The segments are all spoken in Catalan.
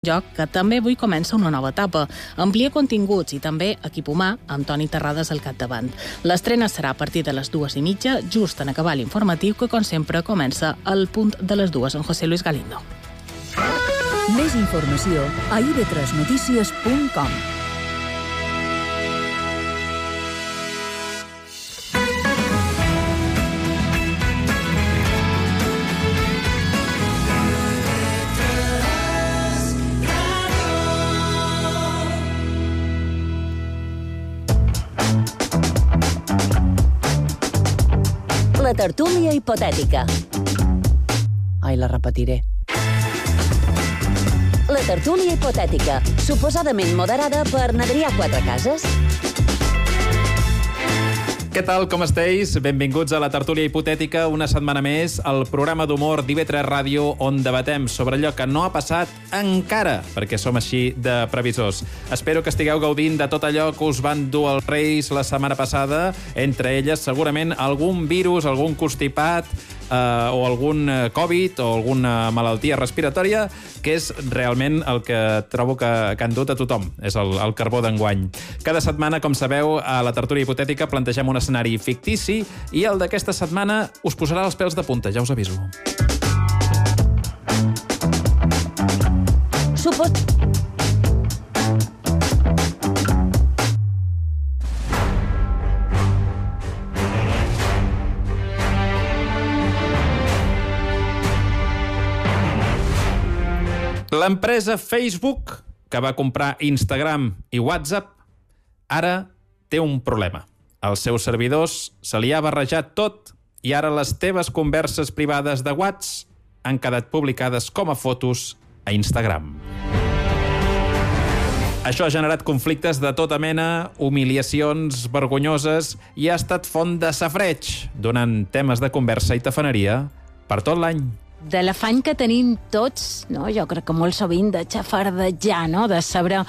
Joc que també avui comença una nova etapa. Amplia continguts i també equip humà amb Toni Terrades al capdavant. L'estrena serà a partir de les 2:30, just en acabar l'informatiu, que com sempre comença al punt de les 2 amb José Luis Galindo. Més informació a ib3notícies.com. La tertúlia hipotètica. Ai, la repetiré. La tertúlia hipotètica, suposadament moderada per n'Adrià Quatrecases. Què tal, com esteu? Benvinguts a la tertúlia hipotètica, una setmana més, al programa d'humor d'IB3 Ràdio, on debatem sobre allò que no ha passat encara, perquè som així de previsors. Espero que estigueu gaudint de tot allò que us van dur els Reis la setmana passada, entre elles segurament algun virus, algun constipat, o algun Covid o alguna malaltia respiratòria, que és realment el que trobo que han dut a tothom. És el carbó d'enguany. Cada setmana, com sabeu, a la tertúlia hipotètica plantegem un escenari fictici i el d'aquesta setmana us posarà els pèls de punta, ja us aviso. L'empresa Facebook, que va comprar Instagram i WhatsApp, ara té un problema. Als seus servidors se li ha barrejat tot i ara les teves converses privades de WhatsApp han quedat publicades com a fotos a Instagram. Això ha generat conflictes de tota mena, humiliacions vergonyoses i ha estat font de safareig, donant temes de conversa i tafaneria per tot l'any. De l'afany que tenim tots, no? Jo crec que molt sovint de xafardejar, no? De saber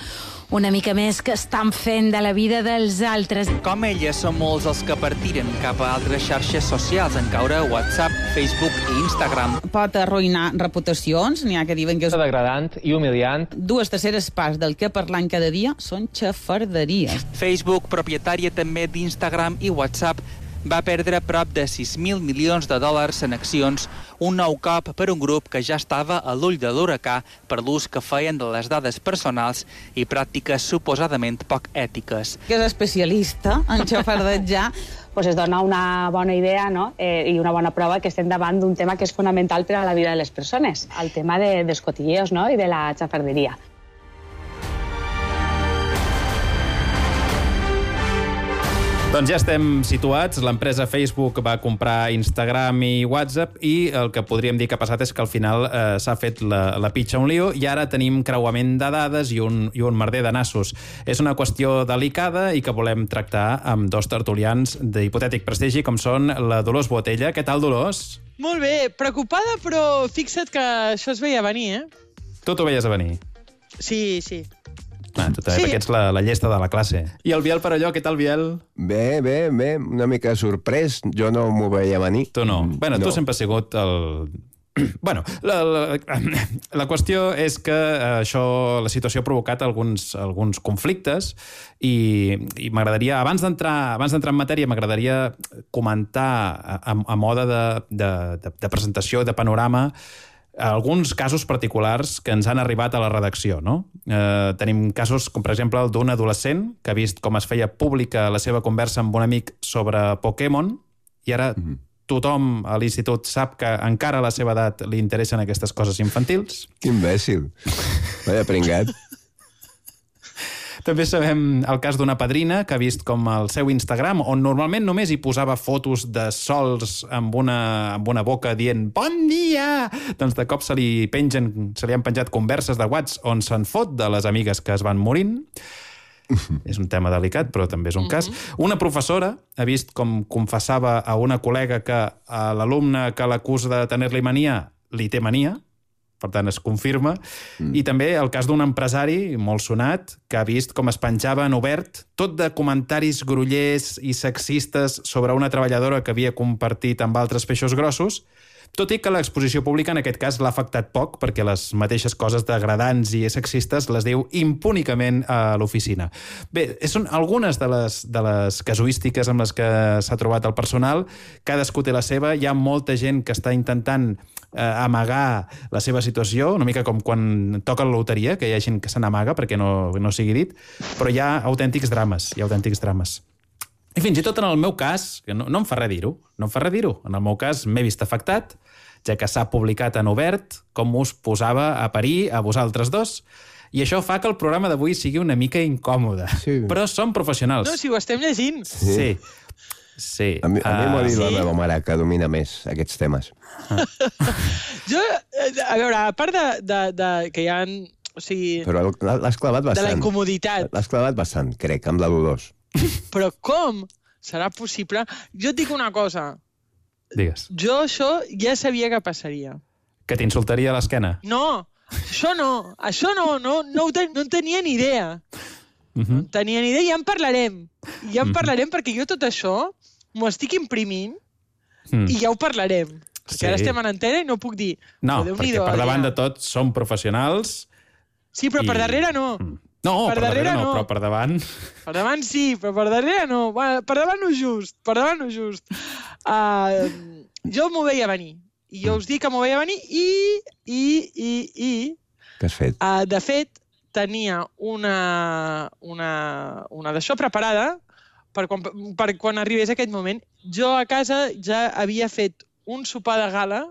una mica més que estan fent de la vida dels altres. Com elles són molts els que partiren cap a altres xarxes socials en caure a WhatsApp, Facebook i Instagram. Pot arruïnar reputacions, n'hi ha que diuen que és degradant i humiliant. 2/3 parts del que parlant cada dia són xafarderies. Facebook, propietària també d'Instagram i WhatsApp, va perdre prop de 6.000 milions de dòlars en accions, un nou cop per un grup que ja estava a l'ull de l'huracà per l'ús que feien de les dades personals i pràctiques suposadament poc ètiques. Que és especialista en xafardejar. Pues es dona una bona idea, no? I una bona prova que estem davant d'un tema que és fonamental per a la vida de les persones, el tema dels cotilleos, no? I de la xafarderia. Doncs ja estem situats. L'empresa Facebook va comprar Instagram i WhatsApp i el que podríem dir que ha passat és que al final s'ha fet la pitxa un lío i ara tenim creuament de dades i un merder de nassos. És una qüestió delicada i que volem tractar amb dos tertulians d'hipotètic prestigi com són la Dolors Botella. Què tal, Dolors? Molt bé, preocupada, però fixa't que això es veia venir, Tu t'ho veies a venir? Sí, sí. Tu també, perquè ets la llesta de la classe. I el Biel Perelló, què tal, Biel? Bé, una mica sorprès. Jo no m'ho veia venir. Tu no. Bueno, tu sempre has sigut el... Bueno, la qüestió és que la situació ha provocat alguns conflictes i m'agradaria, abans d'entrar en matèria, m'agradaria comentar a mode de presentació, de panorama, alguns casos particulars que ens han arribat a la redacció, no? Tenim casos com, per exemple, el d'un adolescent que ha vist com es feia pública la seva conversa amb un amic sobre Pokémon i ara tothom a l'institut sap que encara a la seva edat li interessen aquestes coses infantils. Que imbècil. Vaya pringat. També sabem el cas d'una padrina que ha vist com el seu Instagram, on normalment només hi posava fotos de sols amb una boca dient «Bon dia!», doncs de cop se li han penjat converses de WhatsApp on se'n fot de les amigues que es van morint. És un tema delicat, però també és un cas. Una professora ha vist com confessava a una col·lega que a l'alumne que l'acusa de tenir-li mania li té mania, per tant es confirma, i també el cas d'un empresari molt sonat que ha vist com es penjava en obert tot de comentaris grollers i sexistes sobre una treballadora que havia compartit amb altres peixos grossos Tot i que l'exposició pública en aquest cas l'ha afectat poc, perquè les mateixes coses degradants i sexistes les diu impúnicament a l'oficina. Bé, són algunes de les casuístiques amb les que s'ha trobat el personal. Cadascú té la seva. Hi ha molta gent que està intentant amagar la seva situació, una mica com quan toca la loteria, que hi ha gent que se n'amaga perquè no sigui dit, però hi ha autèntics drames, I fins i tot en el meu cas, que no em fa res dir-ho, en el meu cas m'he vist afectat, ja que s'ha publicat en obert com us posava a parir a vosaltres dos, i això fa que el programa d'avui sigui una mica incòmode. Sí. Però som professionals. No, si ho estem llegint. Sí. A mi m'ho ha dit la meva mare, que domina més aquests temes. Jo, a veure, a part de que hi ha... O sigui, però l'has clavat bastant. De la incomoditat. L'has clavat bastant, crec, amb la Dolors. Però com serà possible? Jo et dic una cosa. Digues. Jo això ja sabia que passaria. Que t'insultaria a l'esquena? No, això no en tenia ni idea. No en tenia ni idea, ja en parlarem. Perquè jo tot això m'ho estic imprimint i ja ho parlarem. Perquè ara estem en antena i no puc dir... No, perquè per davant de tot som professionals... Sí, però per darrere no. No, per darrere no, però per davant... Per davant sí, però per darrere no. Per davant no just. Jo m'ho veia venir. I jo us dic que m'ho veia venir i... Què has fet? De fet, tenia una d'això preparada per quan arribés aquest moment. Jo a casa ja havia fet un sopar de gala.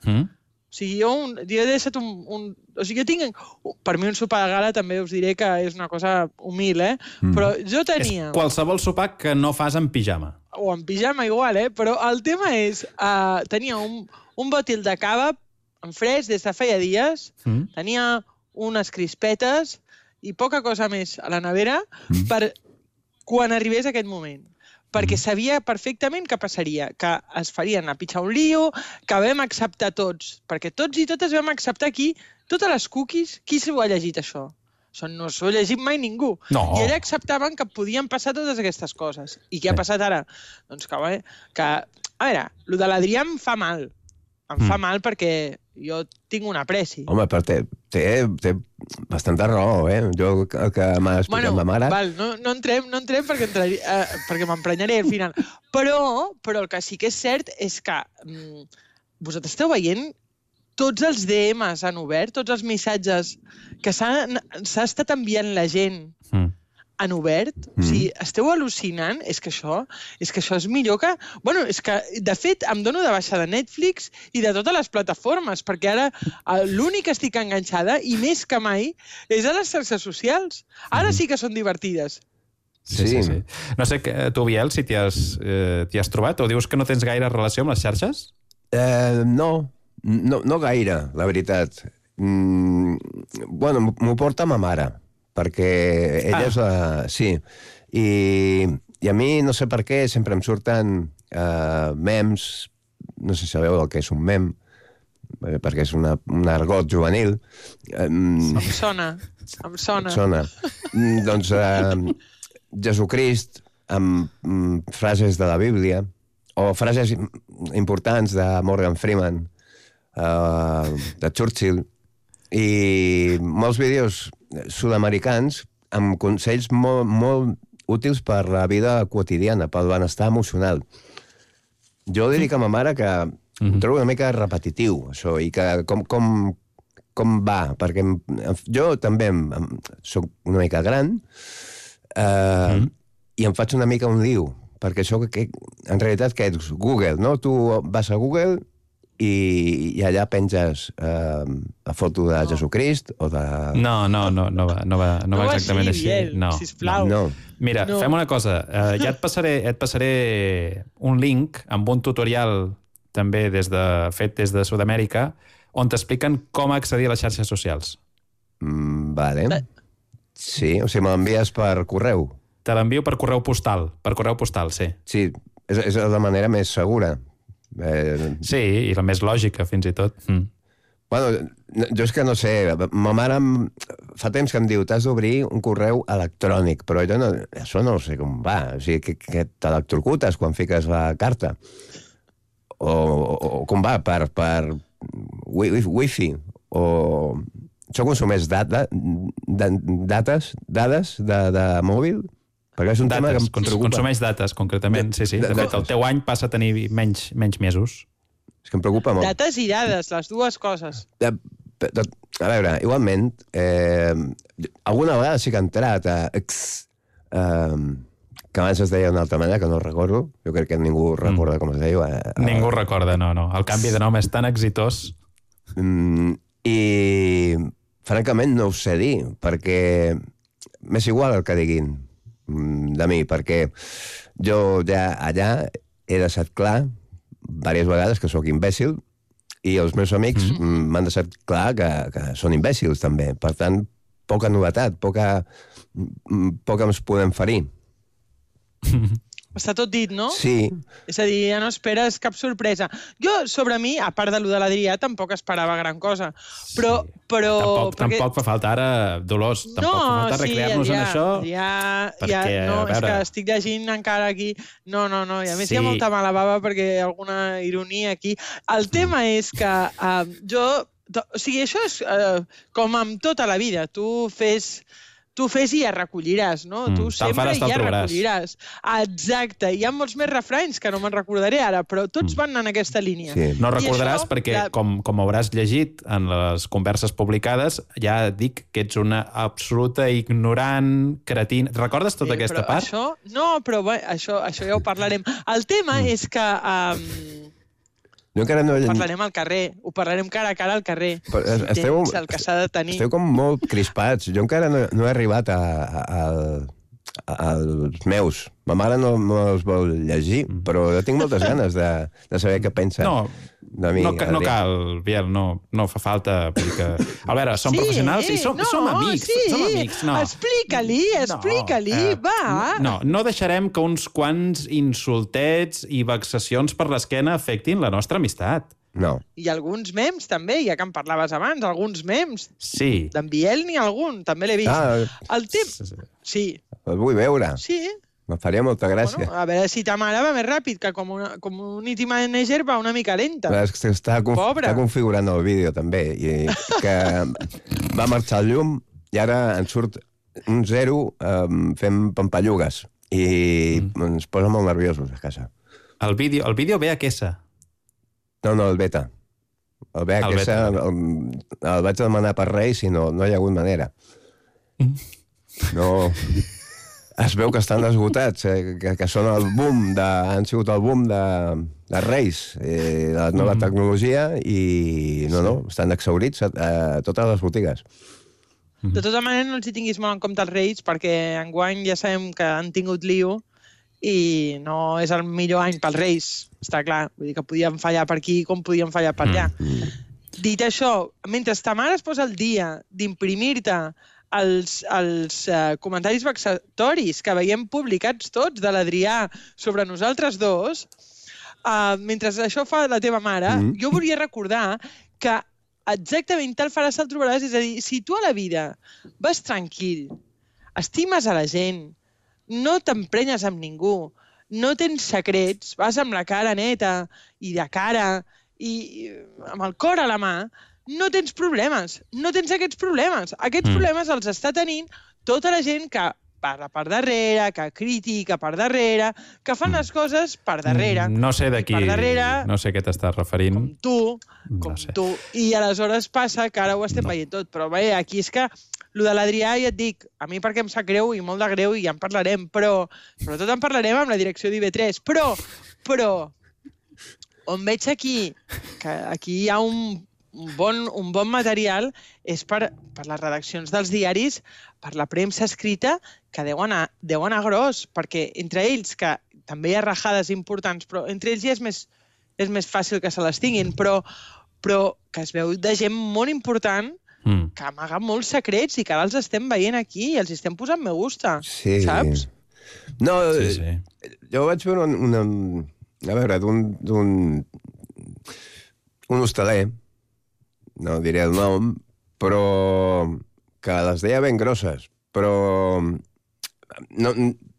O sigui, jo he deixat un... O sigui, jo tinc... Per mi un sopar de gala també us diré que és una cosa humil, Però jo tenia... És qualsevol sopar que no fas en pijama. O en pijama igual, Però el tema és... Tenia un bòtil de cava en fresc des de feia dies. Tenia unes crispetes i poca cosa més a la nevera per quan arribés aquest moment. Perquè sabia perfectament què passaria, que es farien a pitjar un lío, que vam acceptar tots, perquè tots i totes vam acceptar aquí, totes les cookies, qui s'ho ha llegit això? No s'ho ha llegit mai ningú. No. I allà acceptaven que podien passar totes aquestes coses. I què ha passat ara? Doncs que, a veure, el de l'Adrià em fa mal. Em fa mal perquè jo tinc un apreci. Home, però té bastanta raó, Jo, el que m'ha explicat ma mare... No entrem perquè m'emprenyaré al final. Però el que sí que és cert és que vosaltres esteu veient tots els DMs han obert, tots els missatges que s'ha estat enviant la gent en obert. O sigui, esteu al·lucinant. És que això és millor que... Bueno, és que, de fet, em dono de baixa de Netflix i de totes les plataformes, perquè ara l'únic que estic enganxada, i més que mai, és a les xarxes socials. Ara sí que són divertides. Sí. No sé, tu, Biel, si t'hi has trobat, o dius que no tens gaire relació amb les xarxes? No gaire, la veritat. Bueno, m'ho porta ma mare, perquè ella és la... Sí, i a mi, no sé per què, sempre em surten mems, no sé si sabeu el que és un mem, perquè és un argot juvenil. Em sona. Doncs Jesucrist, amb frases de la Bíblia, o frases importants de Morgan Freeman, de Churchill, i molts vídeos sud-americans amb consells molt útils per la vida quotidiana, pel benestar emocional. Jo li dic a ma mare que ho trobo una mica repetitiu, això, i que com va, perquè jo també soc una mica gran i em faig una mica un lío, perquè això en realitat que és Google, no? Tu vas a Google i allà penges la foto de Jesucrist o de... No va exactament així. Sisplau. No. Mira, fem una cosa. Ja et passaré un link amb un tutorial també fet des de Sud-amèrica on t'expliquen com accedir a les xarxes socials. Vale. Sí, o sigui, me l'envies per correu. Te l'envio per correu postal. Per correu postal, sí. Sí, és la manera més segura. Sí, i la més lògica, fins i tot. Bueno, jo és que no sé, ma mare fa temps que em diu t'has d'obrir un correu electrònic, però jo això no sé com va, o sigui, que t'electrocutes quan fiques la carta. o com va, per wifi, o això consumeix dades de mòbil? Perquè és un tema que em preocupa. Consumeix dates, concretament, sí. De fet, el teu any passa a tenir menys mesos. És que em preocupa molt. Dates i dades, les dues coses. A veure, igualment, alguna vegada sí que he entrat a que abans es deia d'una altra manera, que no recordo. Jo crec que ningú recorda com es deia. Ningú recorda, no. El canvi de nom és tan exitós. I, francament, no ho sé dir, perquè m'és igual el que diguin de mi, perquè jo ja allà he deixat clar diverses vegades que sóc imbècil i els meus amics m'han deixat clar que són imbècils també. Per tant, poca novetat, poca ens podem ferir. Està tot dit, no? Sí. És a dir, ja no esperes cap sorpresa. Jo, sobre mi, a part de lo de l'Adrià, tampoc esperava gran cosa. Però... Tampoc fa falta ara, Dolors, tampoc fa falta recrear-nos en això. És que estic llegint encara aquí... No, i a més hi ha molta mala bava perquè hi ha alguna ironia aquí. El tema és que o sigui, això és com amb tota la vida. Tu fes i ja recolliràs, no? Tu sempre ja recolliràs. Exacte. Hi ha molts més refranys que no me'n recordaré ara, però tots van en aquesta línia. Sí. No recordaràs perquè, com hauràs llegit en les converses publicades, ja dic que ets una absoluta ignorant, cretina. Recordes tota aquesta part? Això ja ho parlarem. El tema és que... Jo encara no... Parlarem al carrer, ho parlarem cara a cara al carrer. El que s'ha de tenir. Esteu com molt crispats. Jo encara no he arribat als meus. Ma mare no els vol llegir, però jo tinc moltes ganes de saber què pensa de mi. No cal, Biel, no fa falta. Perquè... A veure, som professionals i som amics. Som amics. Explica-li, va. No deixarem que uns quants insultets i vexacions per l'esquena afectin la nostra amistat. No. I alguns mems, també, ja que en parlaves abans, alguns mems. Sí. D'en Biel n'hi ha algun, també l'he vist. El temps... Sí. El vull veure. Sí. Me faria molta gràcia. Bueno, a veure si ta mare va més ràpid, que Community Manager va una mica lenta. Està configurant el vídeo, també, i que va marxar el llum i ara en surt un 0 fent pampallugues i ens posa molt nerviosos a casa. El vídeo ve a quesa. No, el beta. El ve a quesa, el vaig demanar per Reis i no hi ha hagut manera. No... Es veu que estan esgotats, que són han sigut el boom de Reis, de la nova tecnologia, i estan exhaurits a totes les botigues. De tota manera, no els hi tinguis molt en compte els Reis, perquè enguany ja sabem que han tingut lío i no és el millor any pels Reis, està clar. Vull dir que podien fallar per aquí com podien fallar per allà. Dit això, mentre ta mare es posa el dia d'imprimir-te els comentaris vexatoris que veiem publicats tots de l'Adrià sobre nosaltres dos, mentre això fa la teva mare, jo volia recordar que exactament tal faràs, tal trobaràs. És a dir, si tu a la vida vas tranquil, estimes a la gent, no t'emprenyes amb ningú, no tens secrets, vas amb la cara neta i de cara i amb el cor a la mà, no tens problemes, no tens aquests problemes. Aquests problemes els està tenint tota la gent que parla per darrere, que critica per darrere, que fan les coses per darrere. No sé d'aquí, no sé a què t'estàs referint. Com tu. I aleshores passa que ara ho estem veient tot. Però bé, aquí és que lo de l'Adrià, ja et dic, a mi perquè em sap greu i molt de greu i ja en parlarem, però sobretot en parlarem amb la direcció d'IV3. Però on veig aquí que aquí hi ha un bon material és per les redaccions dels diaris, per la premsa escrita, que deuen anar gros, perquè entre ells, que també hi ha rajades importants, però entre ells ja és més fàcil que se les tinguin, però que es veu de gent molt important que amaga molts secrets i que ara els estem veient aquí i els estem posant me gusta, saps? No, jo vaig veure a veure, d'un hostaler, no diré el nom, però que les deia ben grosses. Però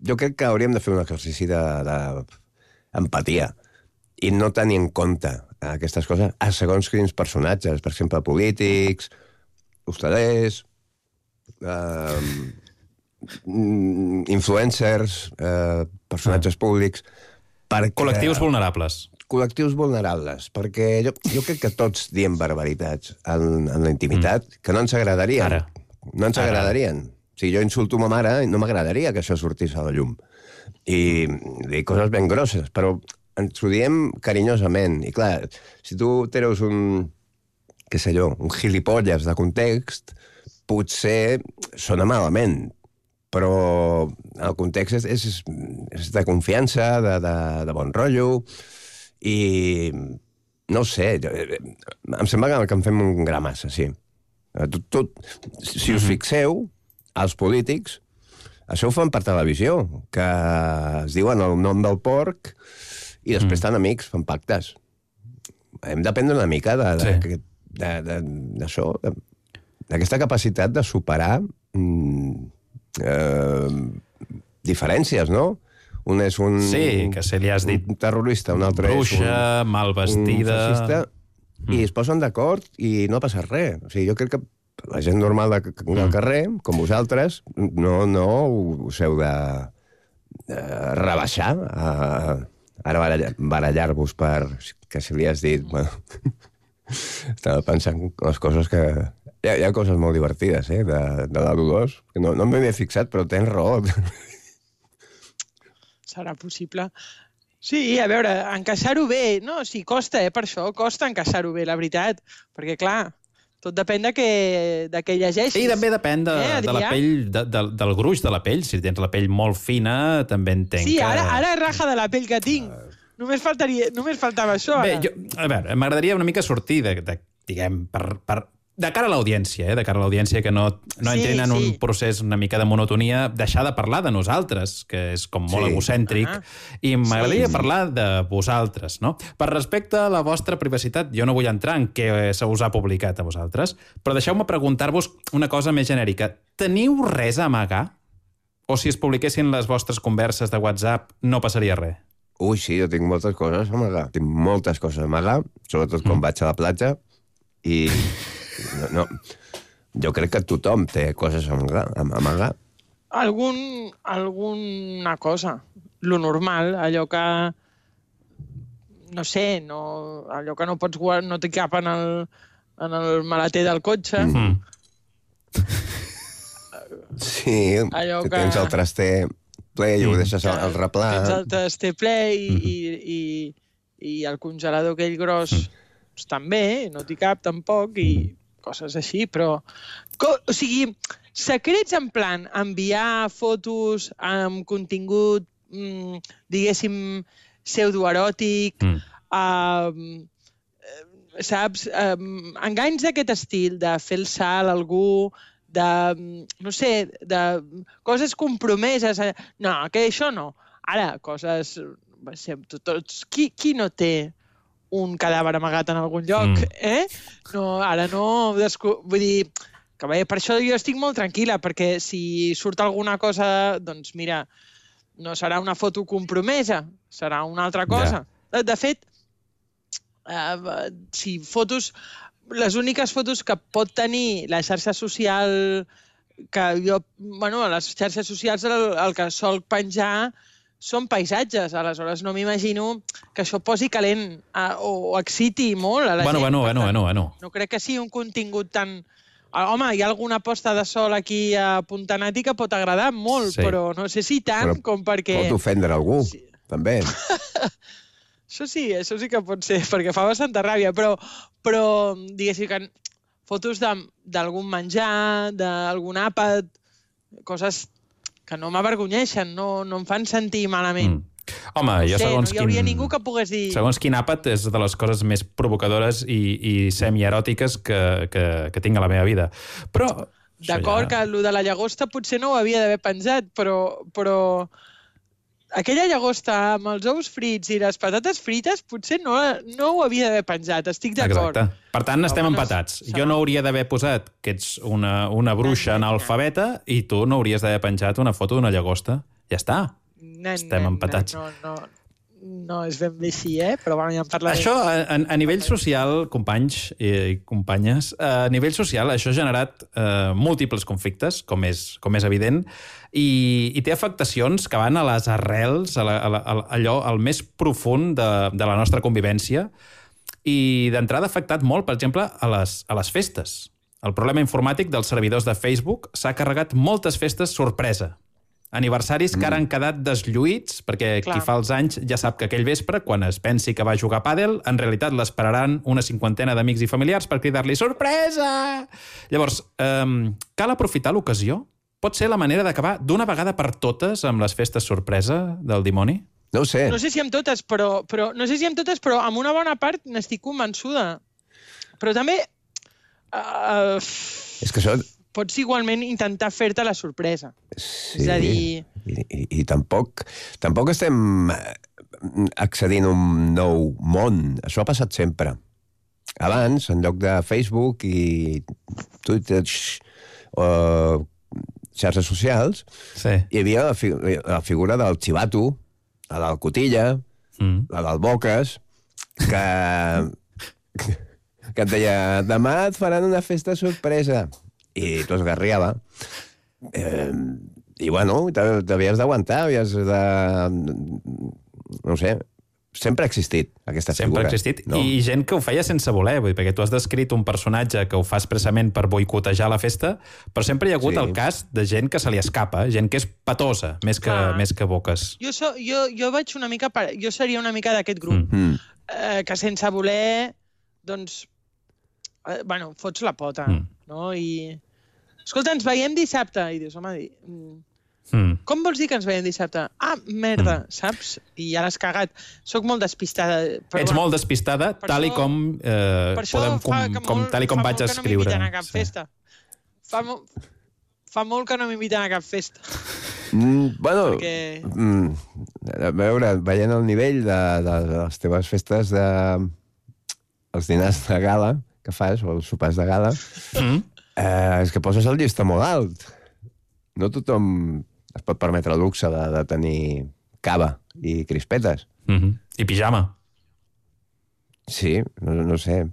jo crec que hauríem de fer un exercici d'empatia i no tenir en compte aquestes coses a segons quins personatges, per exemple, polítics, hostalers, influencers, personatges públics... Col·lectius vulnerables. Col·lectius vulnerables, perquè jo crec que tots diem barbaritats en la intimitat que no ens agradarien. Ara. No ens agradarien. Si jo insulto ma mare, no m'agradaria que això sortís a la llum. I dic coses ben grosses, però ens ho diem carinyosament. I clar, si tu treus un gilipolles de context, potser sona malament, però el context és de confiança, de bon rotllo, i no sé, em sembla que en fem un gra massa, sí. Si us fixeu, els polítics, això ho fan per televisió, que es diuen el nom del porc i després estan amics, fan pactes. Hem d'aprendre una mica d'això, d'aquesta capacitat de superar diferències, no? Un és un... Sí, que se li has dit... Un terrorista, un altre bruixa, és mal vestida... Un fascista, i es posen d'acord i no passa res. O sigui, jo crec que la gent normal del carrer, com vosaltres, no us heu de rebaixar, ara barallar-vos per... que si li has dit... Bueno, estava pensant les coses que... Hi ha coses molt divertides, de la Dolors, que no m'he fixat, però tens raó. Serà possible. Sí, a veure, encaixar-ho bé, no? Sí, costa, per això, costa encaixar-ho bé, la veritat. Perquè, clar, tot depèn de què llegeixis. I també depèn de la pell, del gruix de la pell. Si tens la pell molt fina, també entenc que... Sí, ara raja de la pell que tinc. Només faltava això, ara. Bé, a veure, m'agradaria una mica sortir diguem, de cara a l'audiència, de cara a l'audiència que no entrin en un procés una mica de monotonia, deixar de parlar de nosaltres, que és com molt egocèntric, i m'agradaria parlar de vosaltres, no? Per respecte a la vostra privacitat, jo no vull entrar en què se us ha publicat a vosaltres, però deixeu-me preguntar-vos una cosa més genèrica. Teniu res a amagar? O si es publiquessin les vostres converses de WhatsApp, no passaria res? Ui, sí, jo tinc moltes coses a amagar. Tinc moltes coses a amagar, sobretot quan vaig a la platja, i... No, jo crec que tothom té coses a amagar. Alguna cosa. Lo normal, allò que... No sé, allò que no pots guardar, no t'hi cap en el maleter del cotxe. Sí, que tens el traster ple i ho deixes al replà. Tens el traster ple i el congelador aquell gros també, no t'hi cap tampoc, i coses així, però... O sigui, secrets en plan enviar fotos amb contingut, diguéssim, pseudoeròtic, saps? Enganys d'aquest estil, de fer el salt a algú, de, no sé, de coses compromeses. No, que això no. Ara, coses... Qui no té un cadàver amagat en algun lloc, No, ara no... Vull dir, que bé, per això jo estic molt tranquil·la, perquè si surt alguna cosa, doncs mira, no serà una foto compromesa, serà una altra cosa. De fet, si fotos... Les úniques fotos que pot tenir la xarxa social que jo... Bueno, a les xarxes socials el que sol penjar són paisatges, aleshores no m'imagino que això posi calent o exciti molt a la gent. Bueno. No crec que sigui un contingut tan... Home, hi ha alguna posta de sol aquí a Puntanati que pot agradar molt, però no sé si tant com perquè... Pot ofendre algú, també. Això sí que pot ser, perquè fa bastanta ràbia, però diguéssim que fotos d'algun menjar, d'algun àpat, coses que no m'avergonyeixen, no em fan sentir malament. Home, jo segons no hi hauria ningú que pogués dir... Segons quin àpat és de les coses més provocadores i semi-eròtiques que tinc a la meva vida. Però... D'acord que allò de la llagosta potser no ho havia d'haver penjat, però aquella llagosta amb els ous frits i les patates frites potser no ho havia d'haver penjat, estic d'acord. Exacte. Per tant, estem empatats. Jo no hauria d'haver posat que ets una bruixa analfabeta i tu no hauries d'haver penjat una foto d'una llagosta. Ja està. Estem empatats. no és ben bé així, però bueno, ja en parlarem. Això, a nivell social, companys i companyes, a nivell social això ha generat múltiples conflictes, com és evident, i té afectacions que van a les arrels, allò, al més profund de la nostra convivència, i d'entrada ha afectat molt, per exemple, a les festes. El problema informàtic dels servidors de Facebook s'ha carregat moltes festes sorpresa. Aniversaris que ara han quedat deslluïts, perquè qui fa els anys ja sap que aquell vespre, quan es pensi que va jugar a pàdel, en realitat l'esperaran una 50 d'amics i familiars per cridar-li «Sorpresa!». Llavors, cal aprofitar l'ocasió? Pot ser la manera d'acabar d'una vegada per totes amb les festes sorpresa del dimoni? No ho sé. No sé si amb totes, però amb una bona part n'estic convençuda. Però també... És que això... Pots igualment intentar fer-te la sorpresa. Sí, és a dir... I tampoc estem accedint a un nou món. Això ha passat sempre. Abans, en lloc de Facebook i Twitter o xarxes socials, hi havia la figura del xivato, la del Cotilla, la del Boques, que et deia, demà et faran una festa sorpresa. I tu esgarriava. I, bueno, t'havies d'aguantar, havies de... No sé, sempre ha existit aquesta figura. Sempre ha existit, no? I gent que ho feia sense voler, vull dir, perquè tu has descrit un personatge que ho fa expressament per boicotejar la festa, però sempre hi ha hagut el cas de gent que se li escapa, gent que és patosa, més que boques. Jo vaig una mica... Jo seria una mica d'aquest grup, que sense voler, doncs... Bueno, fots la pota, no? I... Escolta, ens veiem dissabte. I dius, home, com vols dir que ens veiem dissabte? Ah, merda, saps? I ja l'has cagat. Soc molt despistada. Ets molt despistada, tal i com vaig escriure. Per això fa molt que no m'inviten a cap festa. Fa molt que no m'inviten a cap festa. Bueno, a veure, veient el nivell de les teves festes, els dinars de gala que fas, o els sopars de gala, és que poses el llistó molt alt. No tothom es pot permetre el luxe de tenir cava i crispetes. I pijama. Sí, no sé.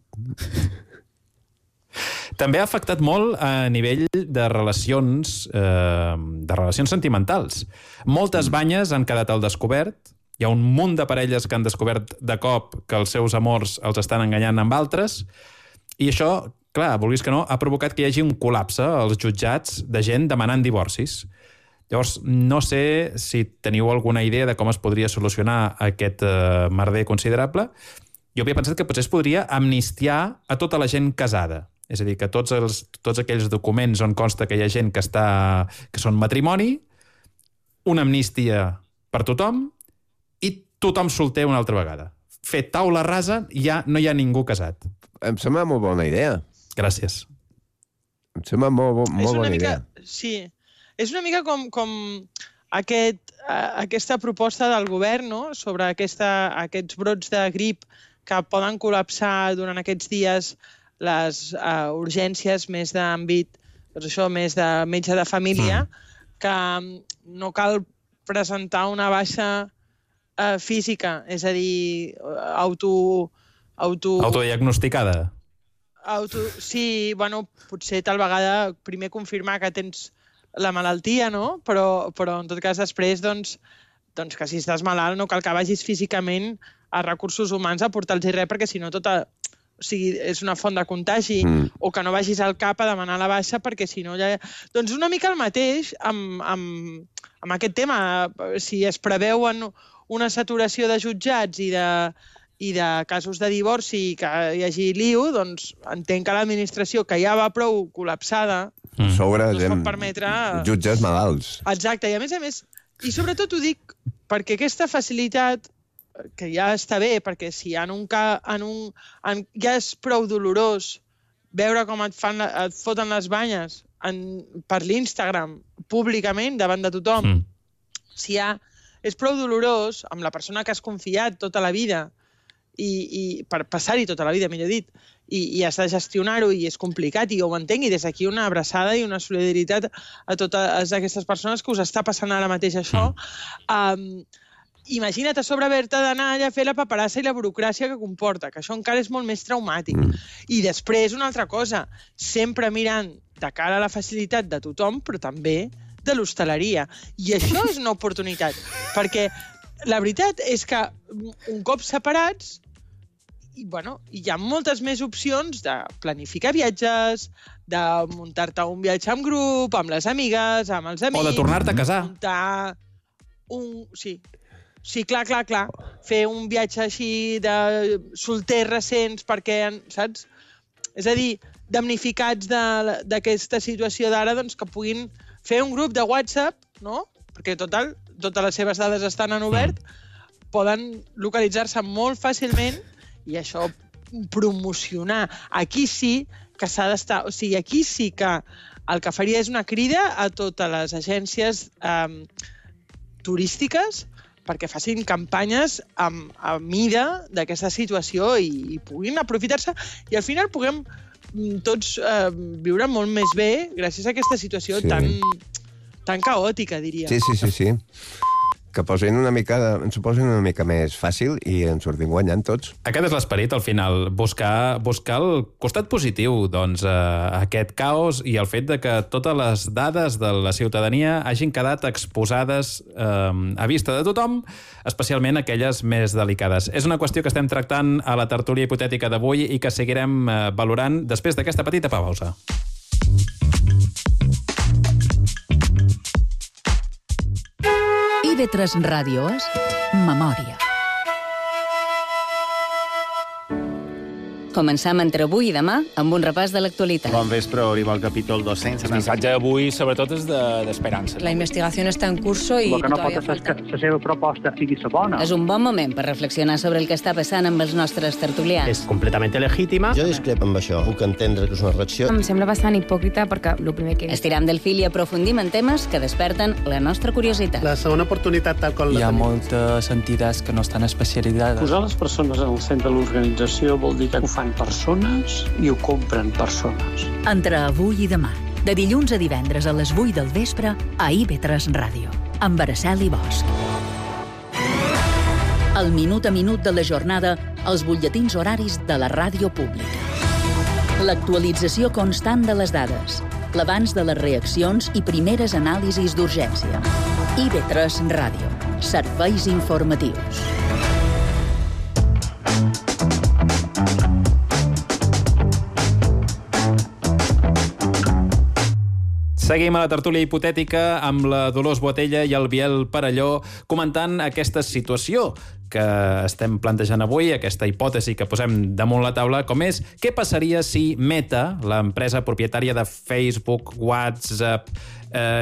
També ha afectat molt a nivell de relacions sentimentals. Moltes banyes han quedat al descobert. Hi ha un munt de parelles que han descobert de cop que els seus amors els estan enganyant amb altres. I això, clar, vulguis que no, ha provocat que hi hagi un col·lapse als jutjats de gent demanant divorcis. Llavors, no sé si teniu alguna idea de com es podria solucionar aquest merder considerable. Jo havia pensat que potser es podria amnistiar a tota la gent casada. És a dir, que tots aquells documents on consta que hi ha gent que són matrimoni, una amnistia per tothom i tothom solter una altra vegada. Fer taula rasa, ja no hi ha ningú casat. Em sembla molt bona idea. Gràcies. Em sembla molt bona idea. Sí, és una mica com aquesta proposta del govern, no?, sobre aquests brots de grip que poden col·lapsar durant aquests dies les urgències més d'àmbit, doncs això, més de metge de família, que no cal presentar una baixa física, és a dir, autodiagnosticada. Sí, bueno, potser tal vegada primer confirmar que tens la malaltia, no? Però en tot cas després, doncs que si estàs malalt no cal que vagis físicament a recursos humans a portar-los res, perquè si no és una font de contagi, o que no vagis al CAP a demanar la baixa, perquè si no ja... Doncs una mica el mateix amb aquest tema. Si es preveuen una saturació de jutjats i de casos de divorci i que hi hagi lío, doncs entenc que l'administració, que ja va prou col·lapsada, sobre no es pot permetre... jutges malalts. Exacte, i a més, i sobretot ho dic perquè aquesta facilitat, que ja està bé, perquè si ja és prou dolorós veure com et foten les banyes per l'Instagram, públicament, davant de tothom, si ja és prou dolorós amb la persona que has confiat tota la vida, i per passar-hi tota la vida, millor dit, i has de gestionar-ho i és complicat, i jo ho entenc, i des d'aquí una abraçada i una solidaritat a totes aquestes persones que us està passant ara mateix això. imagina't a sobre haver-te d'anar allà a fer la paperassa i la burocràcia que comporta, que això encara és molt més traumàtic. I després, una altra cosa, sempre mirant de cara a la facilitat de tothom, però també de l'hostaleria. I això és una oportunitat, perquè la veritat és que un cop separats, hi ha moltes més opcions de planificar viatges, de muntar-te un viatge en grup, amb les amigues, amb els amics... O de tornar-te a casar. Muntar Sí, clar. Fer un viatge així de solters recents perquè, saps? És a dir, damnificats d'aquesta situació d'ara, doncs que puguin fer un grup de WhatsApp, no? Perquè, total, totes les seves dades estan en obert, poden localitzar-se molt fàcilment i això promocionar. Aquí sí que s'ha d'estar... O sigui, aquí sí que el que faria és una crida a totes les agències turístiques perquè facin campanyes a mida d'aquesta situació i puguin aprofitar-se i al final puguem tots viure molt més bé gràcies a aquesta situació tan caòtica, diria. Sí. Que ens ho posin una mica més fàcil i ens sortim guanyant tots. Aquest és l'esperit, al final, buscar el costat positiu, doncs, aquest caos i el fet de que totes les dades de la ciutadania hagin quedat exposades a vista de tothom, especialment aquelles més delicades. És una qüestió que estem tractant a la tertúlia hipotètica d'avui i que seguirem valorant després d'aquesta petita pausa. IB3 Ràdio és Memòria. Començam entre avui i demà amb un repàs de l'actualitat. Bon vespre, arriba el capítol 200. El missatge d'avui, sobretot, és d'esperança. La investigació està en curso i... El que no pot ser és que la seva proposta sigui la bona. És un bon moment per reflexionar sobre el que està passant amb els nostres tertulians. És completament legítima. Jo discrepo amb això. Puc entendre que és una reacció. Em sembla bastant hipòcrita perquè el primer que... Estiram del fil i aprofundim en temes que desperten la nostra curiositat. La segona oportunitat tal com Hi ha moltes entitats que no estan especialitzades. Posar les persones en el centre de l'organització vol dir que ho fan persones i ho compren persones. Entre avui i demà, de dilluns a divendres a les 8 del vespre, a IB3 Ràdio, amb Araceli Bosch. El minut a minut de la jornada, els butlletins horaris de la ràdio pública. L'actualització constant de les dades, l'abans de les reaccions i primeres anàlisis d'urgència. IB3 Ràdio, serveis informatius. Seguim a la tertúlia hipotètica amb la Dolors Boatella i el Biel Parelló comentant aquesta situació que estem plantejant avui, aquesta hipòtesi que posem damunt la taula, com és què passaria si Meta, l'empresa propietària de Facebook, WhatsApp,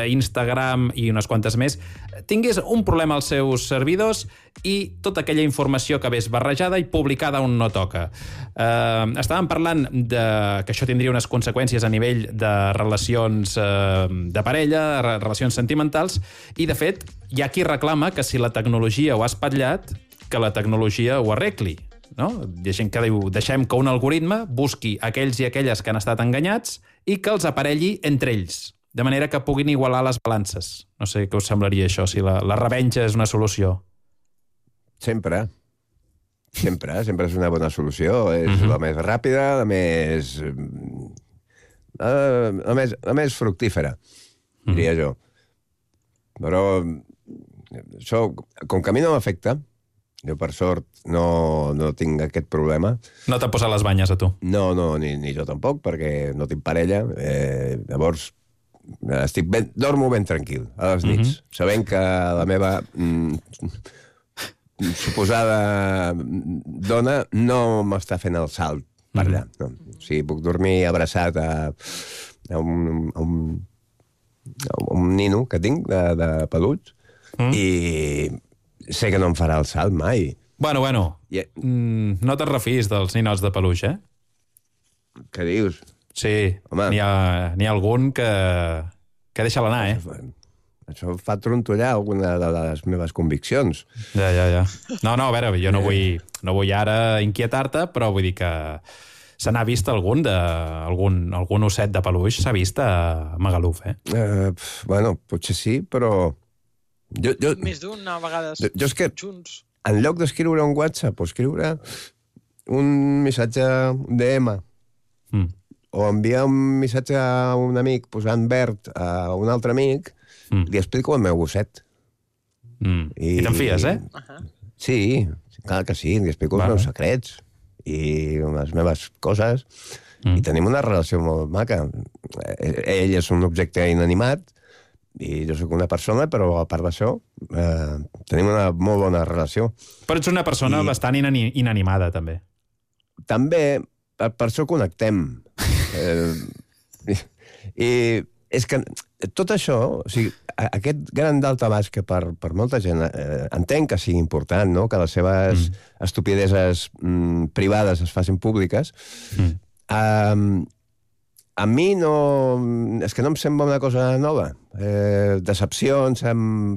Instagram i unes quantes més, tingués un problema als seus servidors i tota aquella informació que ve barrejada i publicada on no toca. Estàvem parlant que això tindria unes conseqüències a nivell de relacions de parella, relacions sentimentals, i de fet hi ha qui reclama que si la tecnologia ho ha espatllat, que la tecnologia ho arregli. No? Hi ha gent que diu, deixem que un algoritme busqui aquells i aquelles que han estat enganyats i que els aparelli entre ells, de manera que puguin igualar les balances. No sé què us semblaria això, si la revenja és una solució. Sempre és una bona solució. És la més ràpida, la més fructífera, diria jo. Però això, com que a mi no m'afecta, jo per sort no tinc aquest problema. No t'ha posat les banyes a tu? No, ni jo tampoc, perquè no tinc parella. Llavors, dormo ben tranquil a les nits, sabent que la meva suposada dona no m'està fent el salt per allà. No. O sigui, puc dormir abraçat a un nino que tinc de pelut i sé que no em farà el salt mai. Bueno, no te'n refis dels ninots de peluix, eh? Què dius? Sí, n'hi ha algun que deixa l'anar, eh? Això fa trontollar alguna de les meves conviccions. Ja. No, a veure, jo no vull ara inquietar-te, però vull dir que se n'ha vist algun osset de peluix, s'ha vist a Magaluf, eh? Bueno, potser sí, però Més d'una vegada Jo és que, junts. en lloc d'escriure un WhatsApp o escriure un missatge DM o enviar un missatge a un amic posant verd a un altre amic, li explico el meu gosset. I te'n fies, eh? Sí, clar que sí, li explico els meus secrets i les meves coses i tenim una relació molt maca. Ell és un objecte inanimat i jo sóc una persona, però a part d'això tenim una molt bona relació. Però ets una persona bastant inanimada, també. També, per això connectem. I és que tot això, o sigui, aquest gran daltabaix que per molta gent entenc que sigui important, no? Que les seves estupideses privades es facin públiques, a mi no... És que no em sembla una cosa nova. Decepcions,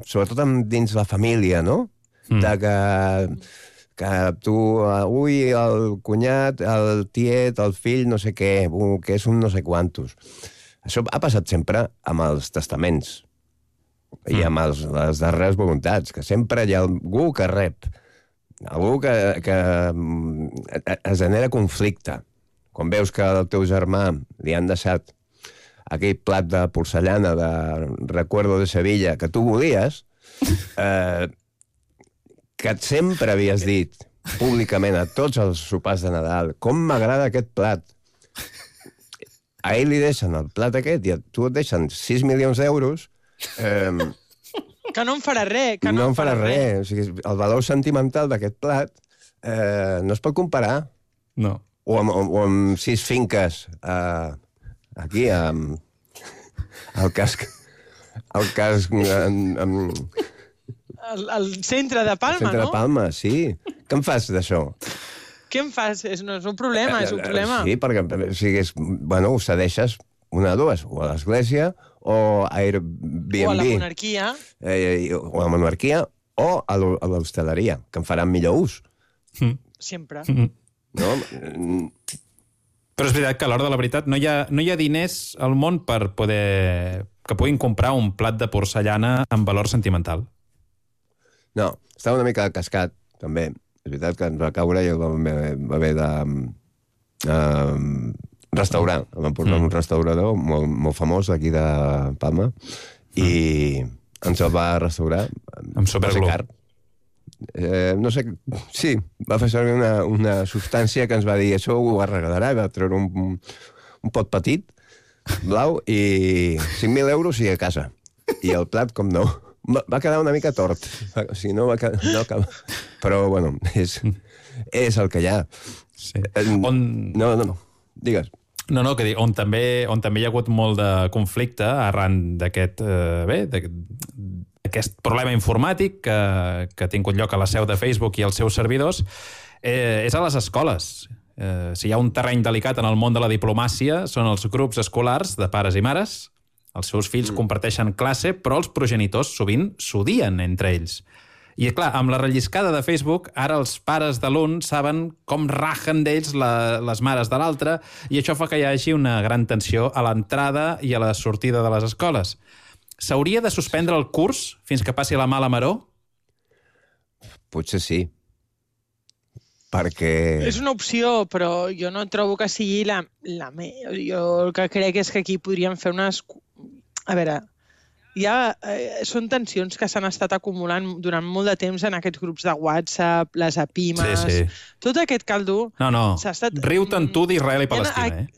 sobretot dins la família, no? De que tu, ui, el cunyat, el tiet, el fill, no sé què, que és un no sé quantos. Això ha passat sempre amb els testaments i amb les darreres voluntats, que sempre hi ha algú que rep, algú que es genera conflicte. Quan veus que al teu germà li han deixat aquell plat de porcellana de Recuerdo de Sevilla que tu volies, que sempre havies dit públicament a tots els sopars de Nadal com m'agrada aquest plat. A ell li deixen el plat aquest i a tu et deixen 6 milions d'euros. Que no em farà res. No em farà res. O sigui, el valor sentimental d'aquest plat no es pot comparar. No. O amb 6 finques aquí, al casc... Al casc... Al centre de Palma, no? Al centre de Palma, sí. Què em fas d'això? Què em fas? No és un problema, és un problema. Sí, perquè ho cedeixes una de dues, o a l'església, o a Airbnb. O a la monarquia. O a la monarquia, o a l'hostaleria, que en faran millor ús. Sempre. No? Però és veritat que a l'hora de la veritat no hi ha diners al món per poder... que puguin comprar un plat de porcellana amb valor sentimental. No, estava una mica cascat, també. És veritat que ens va caure i el vam haver de restaurar. El vam portar un restaurador molt famós d'aquí de Palma i ens el va restaurar. Amb superglú. No sé, sí, va fer servir una substància que ens va dir això ho arreglarà, va treure un pot petit, blau, i 5.000 euros i a casa. I el plat, com no, va quedar una mica tort. O sigui, no va quedar... No, però, bueno, és el que hi ha. Sí. No, digues. No, que dic, on també hi ha hagut molt de conflicte arran d'aquest aquest problema informàtic que ha tingut lloc a la seu de Facebook i als seus servidors, és a les escoles. Si hi ha un terreny delicat en el món de la diplomàcia, són els grups escolars de pares i mares. Els seus fills comparteixen classe, però els progenitors sovint s'odien entre ells. I, clar, amb la relliscada de Facebook, ara els pares de l'un saben com rajen d'ells les mares de l'altre i això fa que hi hagi una gran tensió a l'entrada i a la sortida de les escoles. S'hauria de suspendre el curs fins que passi la mala maror? Potser sí. Perquè... És una opció, però jo no trobo que sigui la jo el que crec és que aquí podríem fer unes... A veure, són tensions que s'han estat acumulant durant molt de temps en aquests grups de WhatsApp, les apimes... Sí. Tot aquest caldo... No. Riu-te'n tu d'Israel i Palestina,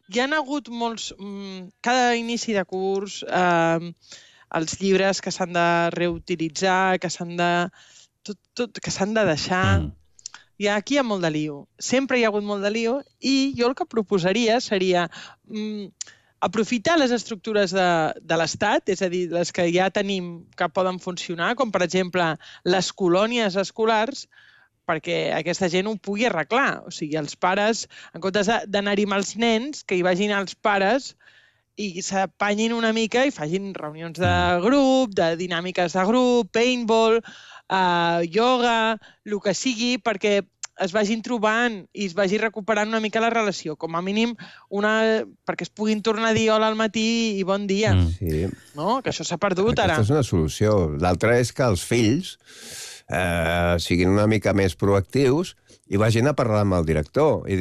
Hi ha hagut molts... Cada inici de curs, els llibres que s'han de reutilitzar, que s'han de deixar... Aquí hi ha molt de lío. Sempre hi ha hagut molt de lío i jo el que proposaria seria aprofitar les estructures de l'Estat, és a dir, les que ja tenim que poden funcionar, com per exemple les colònies escolars, perquè aquesta gent ho pugui arreglar. O sigui, els pares, en comptes d'anar-hi amb els nens, que hi vagin els pares i s'apanyin una mica i facin reunions de grup, de dinàmiques de grup, paintball, ioga, el que sigui, perquè es vagin trobant i es vagi recuperant una mica la relació. Com a mínim, perquè es puguin tornar a dir hola al matí i bon dia. Sí. No? Que això s'ha perdut ara. Aquesta és una solució. L'altra és que els fills siguin una mica més proactius i vagin a parlar amb el director i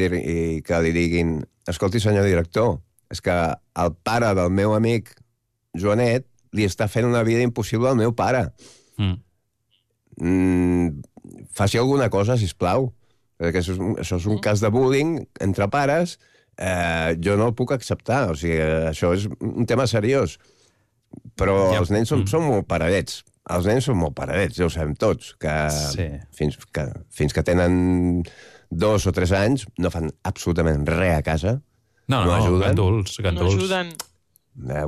que li diguin: escolti, senyor director, és que el pare del meu amic Joanet li està fent una vida impossible al meu pare. Faci alguna cosa, sisplau. Perquè això és un cas de bullying entre pares. Jo no el puc acceptar. O sigui, això és un tema seriós. Però els nens són molt paradets. Els nens són molt paradets, ja ho sabem tots. Fins que tenen 2 o 3 anys no fan absolutament res a casa. No, ganduls. No ajuden.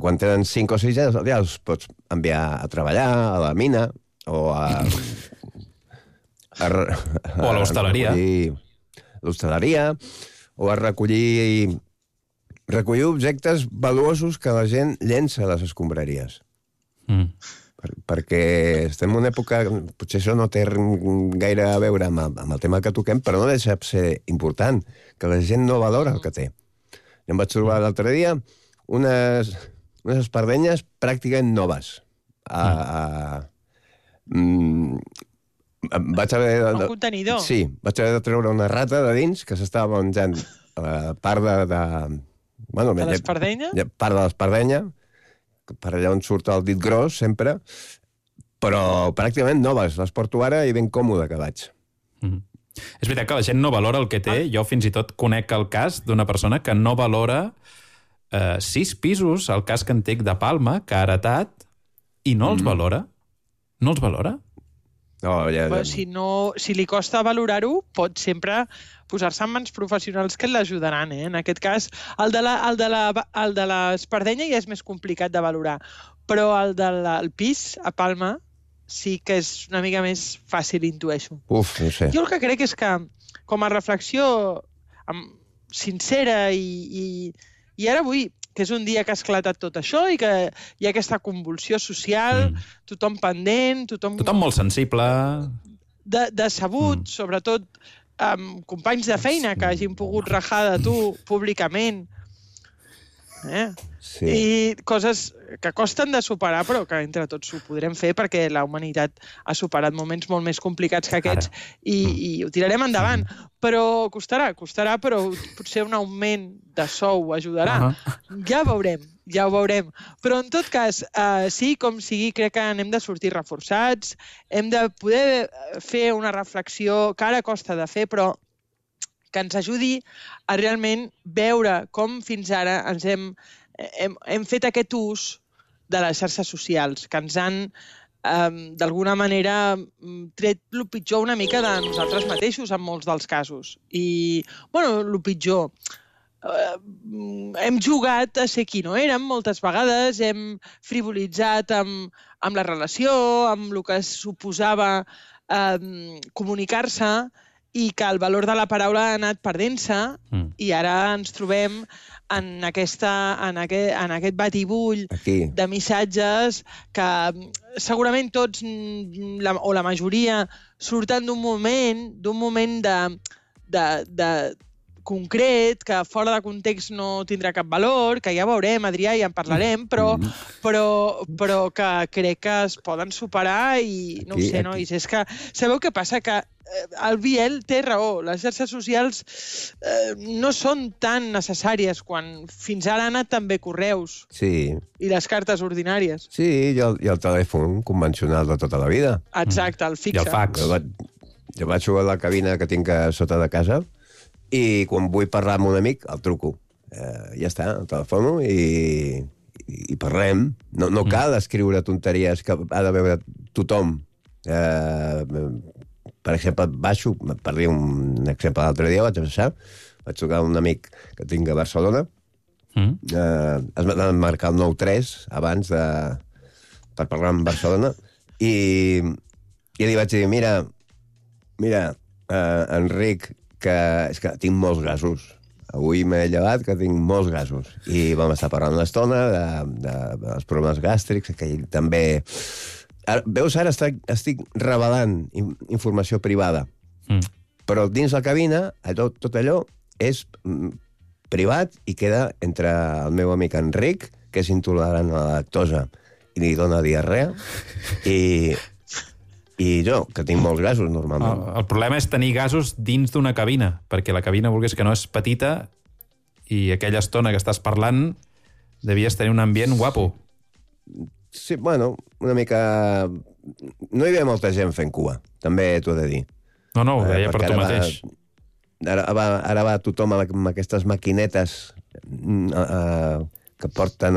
Quan tenen 5 o 6 anys ja els pots enviar a treballar a la mina o a l'hostaleria. L'hostaleria, o a recollir objectes valuosos que la gent llença a les escombraries. Perquè estem en una època... Potser això no té gaire a veure amb el tema que toquem, però no deixa de ser important, que la gent no valora el que té. I em vaig trobar l'altre dia unes espardenyes pràcticament noves. Vaig haver un contenidor. Sí, vaig haver de treure una rata de dins que s'estava menjant part de l'espardenya? Part de l'espardenya, per allà on surt el dit gros, sempre, però pràcticament noves. Les porto ara i ben còmode que vaig. És veritat que la gent no valora el que té. Jo fins i tot conec el cas d'una persona que no valora 6 pisos al casc antic de Palma, que ha heretat, i no els valora. No els valora? Però si li costa valorar-ho, pot sempre posar-se en mans professionals que l'ajudaran. En aquest cas, el de l'espardenya ja és més complicat de valorar, però el del pis a Palma sí que és una mica més fàcil, intueixo. No sé. Jo el que crec és que, com a reflexió sincera i ara vull que és un dia que ha esclatat tot això i que hi ha aquesta convulsió social, tothom pendent, tothom molt sensible. Decebut, sobretot companys de feina que hagin pogut rajar de tu públicament. I coses que costen de superar, però que entre tots ho podrem fer perquè la humanitat ha superat moments molt més complicats que aquests i ho tirarem endavant. Però costarà, però potser un augment de sou ajudarà. Ja ho veurem. Però en tot cas, sí, com sigui, crec que n'hem de sortir reforçats, hem de poder fer una reflexió que ara costa de fer, però que ens ajudi a realment veure com fins ara ens hem fet aquest ús de les xarxes socials, que ens han, d'alguna manera, tret el pitjor una mica de nosaltres mateixos en molts dels casos. I, el pitjor... Hem jugat a ser qui no érem moltes vegades, hem frivolitzat amb la relació, amb el que suposava comunicar-se, i que el valor de la paraula ha anat perdent-se i ara ens trobem en aquest batibull de missatges que segurament tots o la majoria surten d'un moment de concret, que fora de context no tindrà cap valor, que ja veurem, Adrià, ja en parlarem, però que crec que es poden superar i no ho sé, nois. És que sabeu què passa? Que el Biel té raó. Les xarxes socials no són tan necessàries quan fins ara han anat també correus i les cartes ordinàries. Sí, i el telèfon convencional de tota la vida. Exacte, el fixe. I el fax. Jo vaig a la cabina que tinc a sota de casa i quan vull parlar amb un amic el truco. Ja està, el telefono i parlem. No cal escriure tonteries que ha de veure tothom. Per exemple, baixo, per dir un exemple l'altre dia, vaig trucar a un amic que tinc a Barcelona, es va marcar el 9-3 abans per parlar amb Barcelona, i li vaig dir, mira, Enric, que és que tinc molts gasos. Avui m'he llevat que tinc molts gasos. I vam estar parlant una estona dels problemes gàstrics, que ell també... Veus, ara estic revelant informació privada. Però dins la cabina, tot allò és privat i queda entre el meu amic Enric, que és intolerant a la lactosa i li dona diarrea, i jo, que tinc molts gasos normalment. El problema és tenir gasos dins d'una cabina, perquè la cabina, vulguis que no, és petita i aquella estona que estàs parlant devies tenir un ambient guapo. Sí, bueno, una mica... No hi havia molta gent fent cua, també t'ho he de dir. No, ho deia per tu mateix. Ara va tothom amb aquestes maquinetes que porten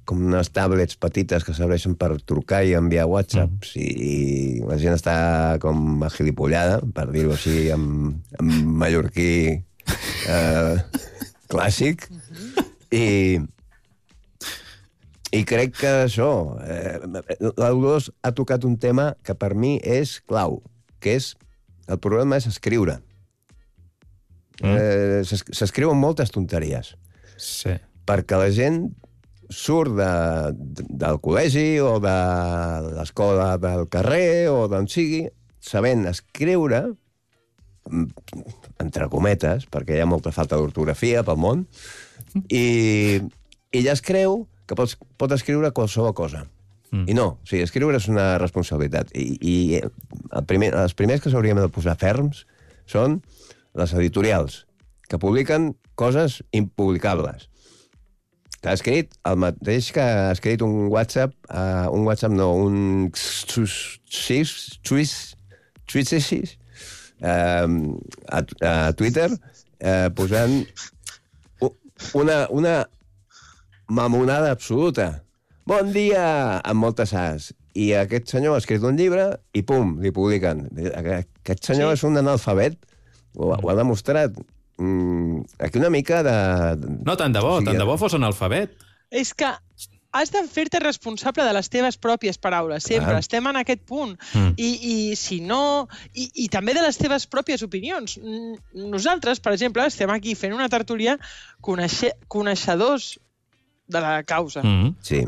com unes tablets petites que serveixen per trucar i enviar whatsapps i la gent està com agilipollada, per dir-ho així, en mallorquí clàssic, i crec que això... L'Audós ha tocat un tema que per mi és clau, que és... El problema és escriure. S'escriuen moltes tonteries. Sí. Perquè la gent surt del col·legi o de l'escola del carrer o d'on sigui, sabent escriure, entre cometes, perquè hi ha molta falta d'ortografia pel món, i ja es creu que pot escriure qualsevol cosa. I no, o sigui, escriure és una responsabilitat. I els primers que s'haurien de posar ferms són les editorials, que publiquen coses impublicables. Que ha escrit el mateix que ha escrit un WhatsApp no, un a Twitter, posant una mamonada absoluta. Bon dia, amb moltes as. I aquest senyor ha escrit un llibre i pum, li publiquen. Aquest senyor és un analfabet, ho ha demostrat. Aquí una mica de... No, tant de bo fos analfabet. És que has de fer-te responsable de les teves pròpies paraules, sempre. Estem en aquest punt. I si no... I també de les teves pròpies opinions. Nosaltres, per exemple, estem aquí fent una tertúlia coneixedors de la causa.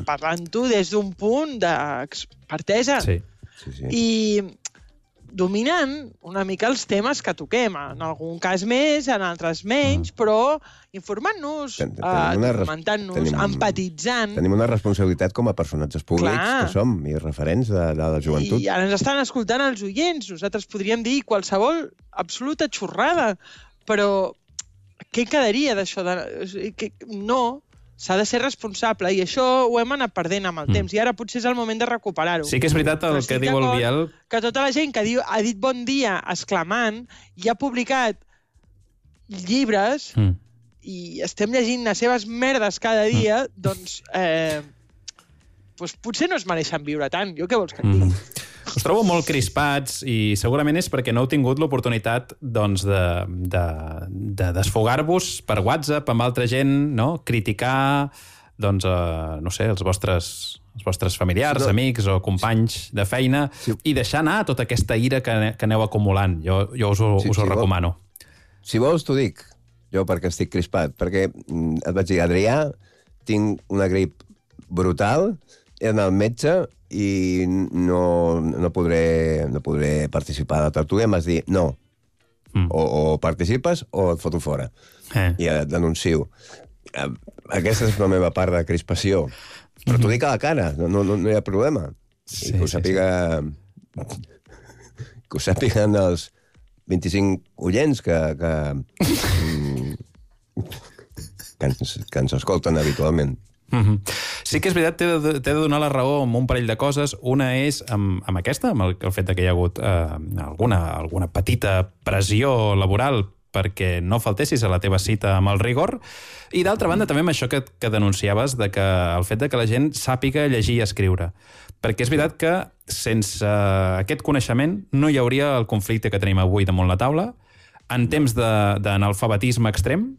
Parlant-ho des d'un punt d'expertesa. I dominant una mica els temes que toquem. En algun cas més, en altres menys, però informant-nos, documentant-nos, empatitzant. Tenim una responsabilitat com a personatges públics que som i referents de la joventut. I ara ens estan escoltant els oients. Nosaltres podríem dir qualsevol absoluta xorrada, però què quedaria d'això? No, s'ha de ser responsable, i això ho hem anat perdent amb el temps, i ara potser és el moment de recuperar-ho. Sí que és veritat el que diu el Biel. Que tota la gent que ha dit bon dia exclamant i ha publicat llibres i estem llegint les seves merdes cada dia, doncs potser no es mereixen viure tant. Jo què vols que et digui? Us trobo molt crispats i segurament és perquè no heu tingut l'oportunitat de desfogar-vos per WhatsApp amb altra gent, no? Criticar, doncs, no sé, els vostres familiars, amics o companys de feina i deixar anar tota aquesta ira que aneu acumulant. Jo us ho recomano. Si vols, t'ho dic. Jo perquè estic crispat. Perquè et vaig dir, Adrià, tinc una grip brutal, he d'anar al metge i no podré participar a la tertúlia. Em vas dir, no, o participes o et foto fora. I et denuncio. Aquesta és la meva part de crispació. Però t'ho dic a la cara, no hi ha problema. I que ho sàpiguen els 25 oients que ens escolten habitualment. Sí que és veritat, t'he de donar la raó amb un parell de coses. Una és amb aquesta, amb el fet que hi ha hagut alguna petita pressió laboral perquè no faltessis a la teva cita amb el rigor, i d'altra banda també amb això que denunciaves, de que el fet de que la gent sàpiga llegir i escriure. Perquè és veritat que sense aquest coneixement no hi hauria el conflicte que tenim avui damunt la taula. En temps d'analfabetisme extrem,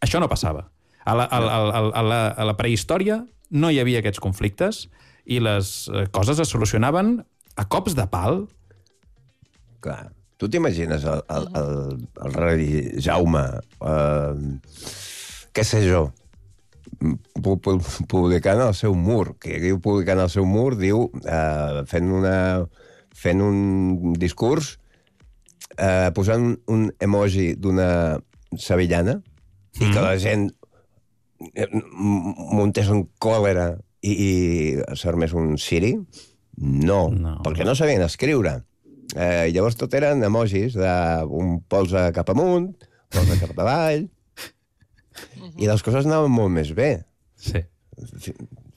això no passava. A la prehistòria no hi havia aquests conflictes i les coses es solucionaven a cops de pal. Clar. Tu t'imagines el rei Jaume, què sé jo, publicant al seu mur, que diu publicant al seu mur, diu, fent un discurs posant un emoji d'una sevillana i que la gent muntés en còlera i s'armés un siri? No, perquè no sabien escriure. Llavors tot eren emojis d'un polze cap amunt, polze cap avall, i les coses anaven molt més bé. Sí.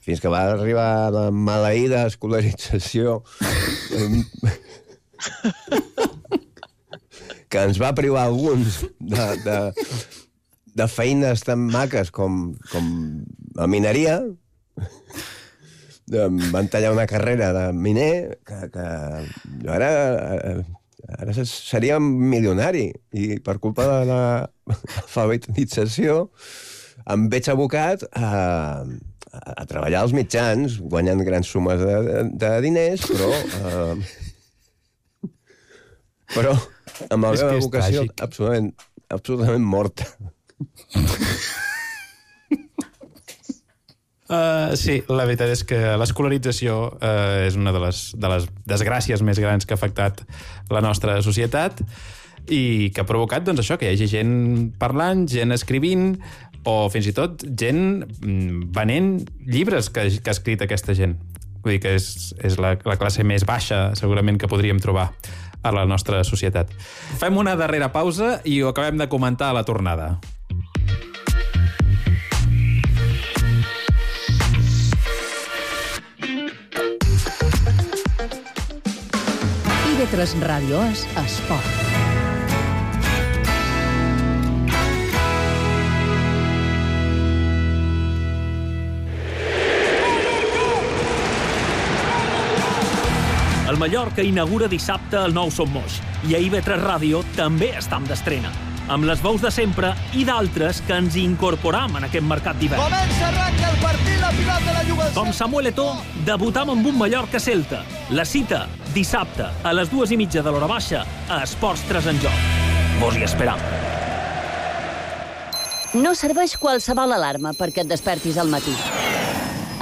Fins que va arribar la maleïda escolarització que ens va privar alguns de feines tan maques com la mineria. Van tallar una carrera de miner que ara seria milionari, i per culpa de l'alfabetització em veig abocat a treballar als mitjans, guanyant grans sumes de diners, però amb la meva vocació absolutament morta. Sí, la veritat és que l'escolarització és una de les desgràcies més grans que ha afectat la nostra societat i que ha provocat, doncs, això, que hi hagi gent parlant, gent escrivint, o fins i tot gent venent llibres que ha escrit aquesta gent. Vull dir que és la classe més baixa, segurament, que podríem trobar a la nostra societat. Fem una darrera pausa i ho acabem de comentar a la tornada. IB3 Ràdio és esport. El Mallorca inaugura dissabte el nou Som Moix i a IB3 Ràdio també estam d'estrena, amb les veus de sempre i d'altres que ens incorporam en aquest mercat d'hivern. Comença, arranca el partit, la pilota la juga... Com Samuel Eto'o, debutam amb un Mallorca-Celta. La cita, dissabte, a les 2:30 de l'hora baixa, a Esports 3 en Joc. Vos hi esperam. No serveix qualsevol alarma perquè et despertis al matí.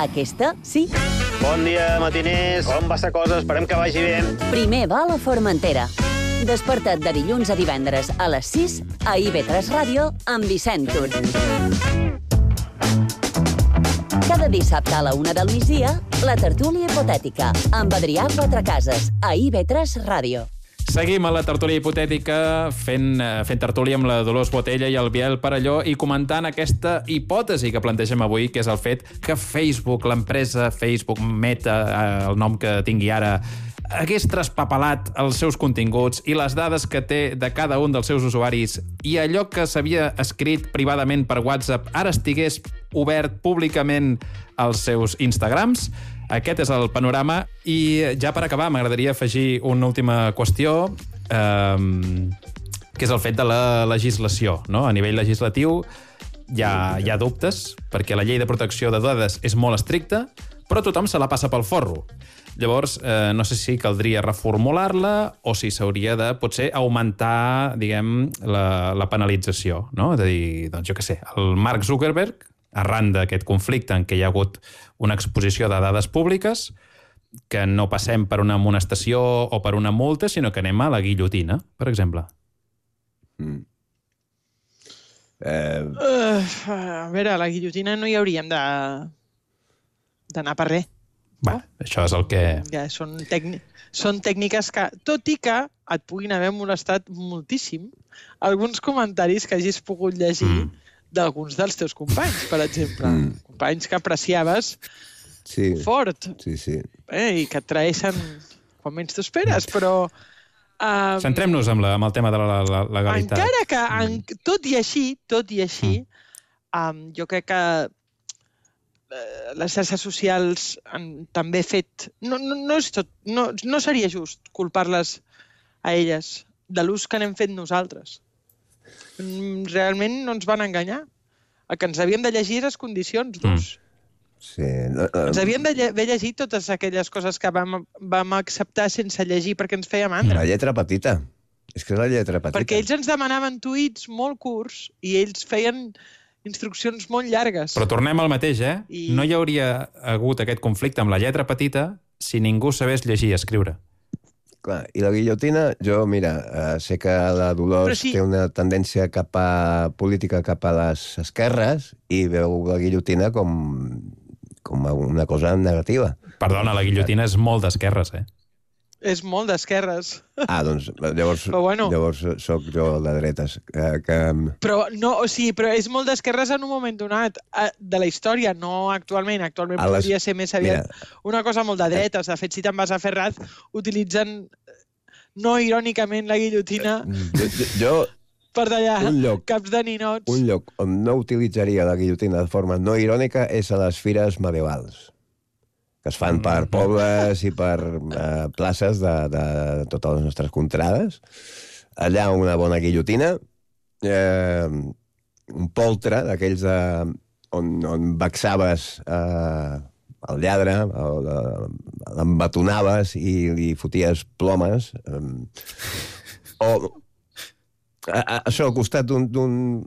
Aquesta, sí. Bon dia, matiners. Com va la cosa? Esperem que vagi bé. Primer va a la Formentera. Desperta't de dilluns a divendres a les 6 a IB3 Ràdio amb Vicent Tur. Cada dissabte a la 1 del migdia, la tertúlia hipotètica amb Adrià Quatrecases a IB3 Ràdio. Seguim a la tertúlia hipotètica fent tertúlia amb la Dolors Botella i el Biel Parelló i comentant aquesta hipòtesi que plantegem avui, que és el fet que Facebook, l'empresa Facebook, Meta, el nom que tingui ara, hagués traspapelat els seus continguts i les dades que té de cada un dels seus usuaris i allò que s'havia escrit privadament per WhatsApp ara estigués obert públicament als seus Instagrams. Aquest és el panorama i ja per acabar m'agradaria afegir una última qüestió que és el fet de la legislació, no? A nivell legislatiu hi ha dubtes perquè la llei de protecció de dades és molt estricta, però tothom se la passa pel forro. Llavors, no sé si caldria reformular-la o si s'hauria de, potser, augmentar, diguem, la penalització, no? És a dir, doncs jo què sé, el Mark Zuckerberg, arran d'aquest conflicte en què hi ha hagut una exposició de dades públiques, que no passem per una amonestació o per una multa, sinó que anem a la guillotina, per exemple. A veure, a la guillotina no hi hauríem d'anar per res. Bé, això és el que... Ja, són tècniques que, tot i que et puguin haver molestat moltíssim, alguns comentaris que hagis pogut llegir d'alguns dels teus companys, per exemple. Companys que apreciaves fort. Sí, sí. I que et traeixen quan menys t'ho esperes, però... Centrem-nos amb el tema de la legalitat. Encara que, tot i així, jo crec que les xarxes socials també fet... No seria just culpar-les a elles de l'ús que n'hem fet nosaltres. Realment no ens van enganyar. El que ens havíem de llegir les condicions d'ús. Sí. Ens havíem d'haver llegit totes aquelles coses que vam acceptar sense llegir perquè ens feia mandra. La lletra petita. És que és la lletra petita. Perquè ells ens demanaven tuits molt curts i ells feien instruccions molt llargues. Però tornem al mateix, No hi hauria hagut aquest conflicte amb la lletra petita si ningú sabés llegir i escriure. Clar, i la guillotina, jo, mira, sé que la Dolors té una tendència política cap a les esquerres i veu la guillotina com una cosa negativa. Perdona, la guillotina és molt d'esquerres, És molt d'esquerres. Doncs llavors soc jo de dretes. Però és molt d'esquerres en un moment donat de la història, no actualment. Actualment podria ser més aviat una cosa molt de dretes. De fet, si te'n vas a Ferraz, utilitzen no irònicament la guillotina per tallar caps de ninots. Un lloc on no utilitzaria la guillotina de forma no irònica és a les fires medievals, que es fan per pobles i per places de totes les nostres contrades. Allà una bona guillotina, un poltre d'aquells on vexaves el lladre, l'embatonaves i li foties plomes. Això al costat d'un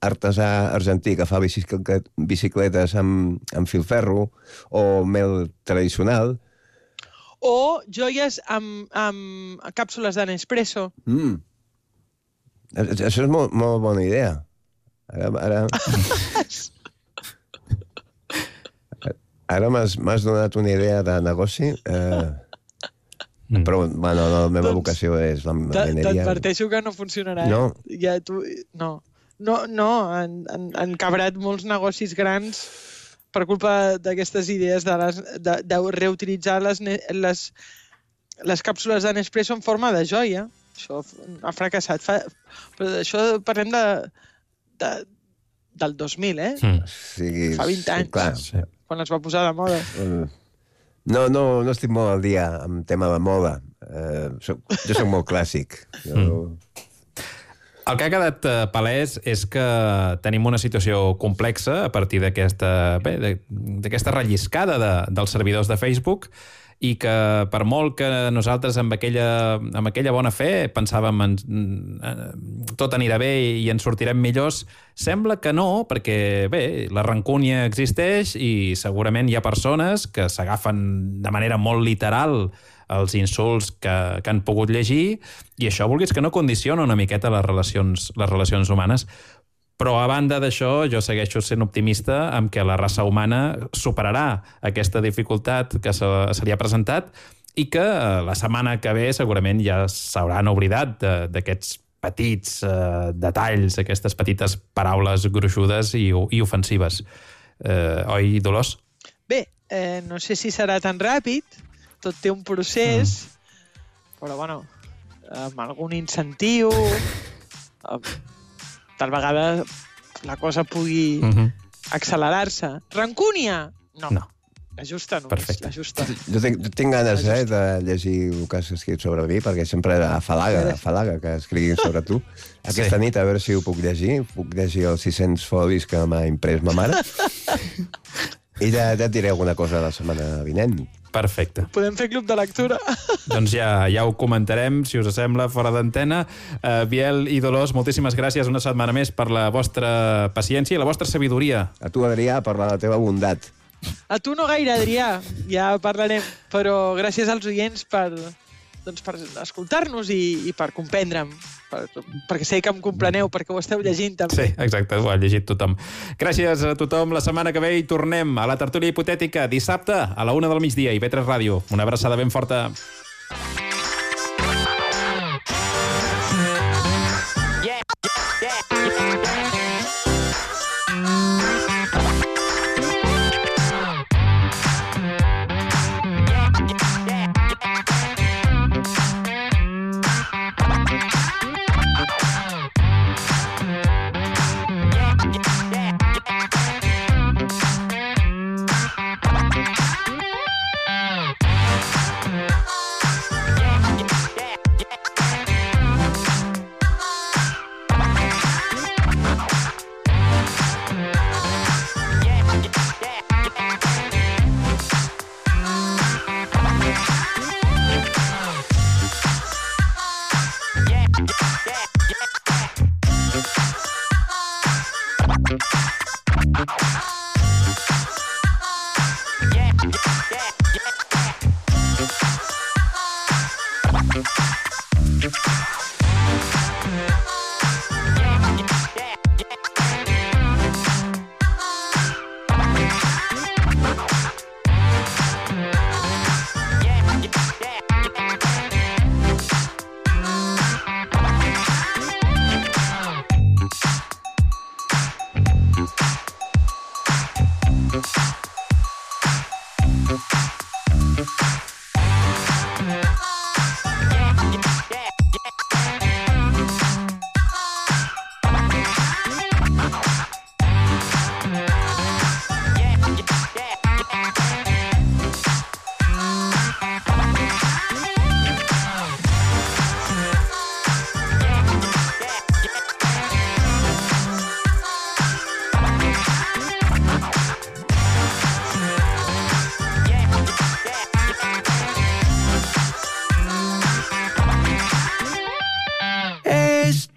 artesà argentí que fa bicicletes amb filferro o mel tradicional. O joies amb càpsules de Nespresso. Això és molt bona idea. Ara m'has donat una idea de negoci, però la meva vocació és la mineria. T'adverteixo que no funcionarà. No, han cabrat molts negocis grans per culpa d'aquestes idees de reutilitzar les càpsules de Nespresso en forma de joia. Això ha fracassat. Però d'això parlem del 2000, fa 20 anys, quan es va posar de moda. No estic molt al dia amb tema de moda. Jo soc molt clàssic. El que ha quedat palès és que tenim una situació complexa a partir d'aquesta relliscada dels servidors de Facebook i que per molt que nosaltres amb aquella bona fe pensàvem tot anirà bé i ens sortirem millors, sembla que no, perquè bé, la rancúnia existeix i segurament hi ha persones que s'agafen de manera molt literal els insults que han pogut llegir i això, vulguis que no, condiciona una miqueta les relacions humanes. Però a banda d'això, jo segueixo sent optimista amb que la raça humana superarà aquesta dificultat que se li ha presentat i que la setmana que ve segurament ja s'hauran oblidat d'aquests petits detalls, aquestes petites paraules gruixudes i ofensives. Oi, Dolors? Bé, no sé si serà tan ràpid, tot té un procés, però bueno, amb algun incentiu, tal vegada la cosa pugui accelerar-se. Rancúnia? No. La justa només, la justa. Jo tinc ganes de llegir el que has escrit sobre mi, perquè sempre afalaga que escriguin sobre tu. Aquesta nit, a veure si ho puc llegir. Puc llegir els 600 folis que m'ha imprès ma mare. I ja et diré alguna cosa la setmana vinent. Perfecte. Podem fer club de lectura? Doncs ja ho comentarem, si us sembla, fora d'antena. Biel i Dolors, moltíssimes gràcies una setmana més per la vostra paciència i la vostra sabidoria. A tu, Adrià, per la teva bondat. A tu no gaire, Adrià, ja parlarem, però gràcies als oients per escoltar-nos i per comprendre'm, perquè sé que em compreneu, perquè ho esteu llegint també. Sí, exacte, ho ha llegit tothom. Gràcies a tothom. La setmana que ve hi tornem a la tertúlia hipotètica dissabte a la 1 del migdia, IB3 Ràdio. Una abraçada ben forta.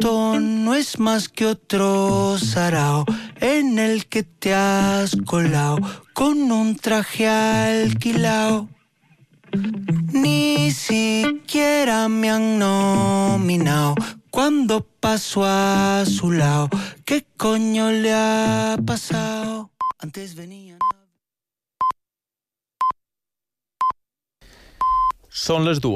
Esto no es más que otro sarao en el que te has colado con un traje alquilao. Ni siquiera me han nominado cuando paso a su lado. ¿Qué coño le ha pasado? Antes venían... Són les 2.